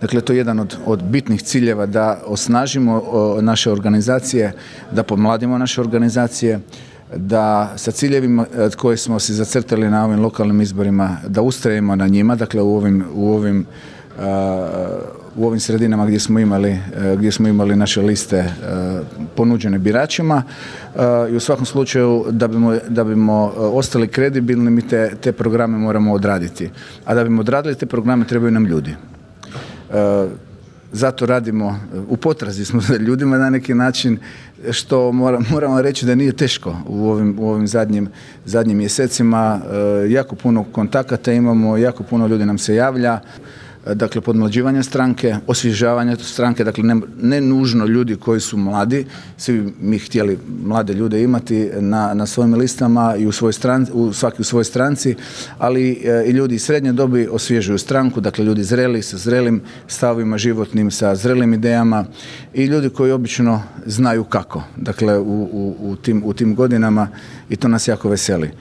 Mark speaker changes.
Speaker 1: Dakle, to je jedan od bitnih ciljeva da osnažimo naše organizacije, da pomladimo naše organizacije, da sa ciljevima koje smo si zacrtali na ovim lokalnim izborima, da ustrajemo na njima, dakle u ovim sredinama gdje smo imali naše liste ponuđene biračima i u svakom slučaju da bimo ostali kredibilni mi te programe moramo odraditi. A da bimo odradili te programe trebaju nam ljudi. Zato radimo, u potrazi smo za ljudima na neki način, što moramo reći da nije teško u ovim zadnjim mjesecima. Jako puno kontakata imamo, jako puno ljudi nam se javlja. Dakle, podmlađivanje stranke, osvježavanje stranke, dakle ne nužno ljudi koji su mladi, svi mi htjeli mlade ljude imati na svojim listama i svaki u svojoj stranci, ali i ljudi iz srednje dobi osvježuju stranku, dakle ljudi zreli, sa zrelim stavovima životnim, sa zrelim idejama i ljudi koji obično znaju kako, dakle u tim godinama i to nas jako veseli.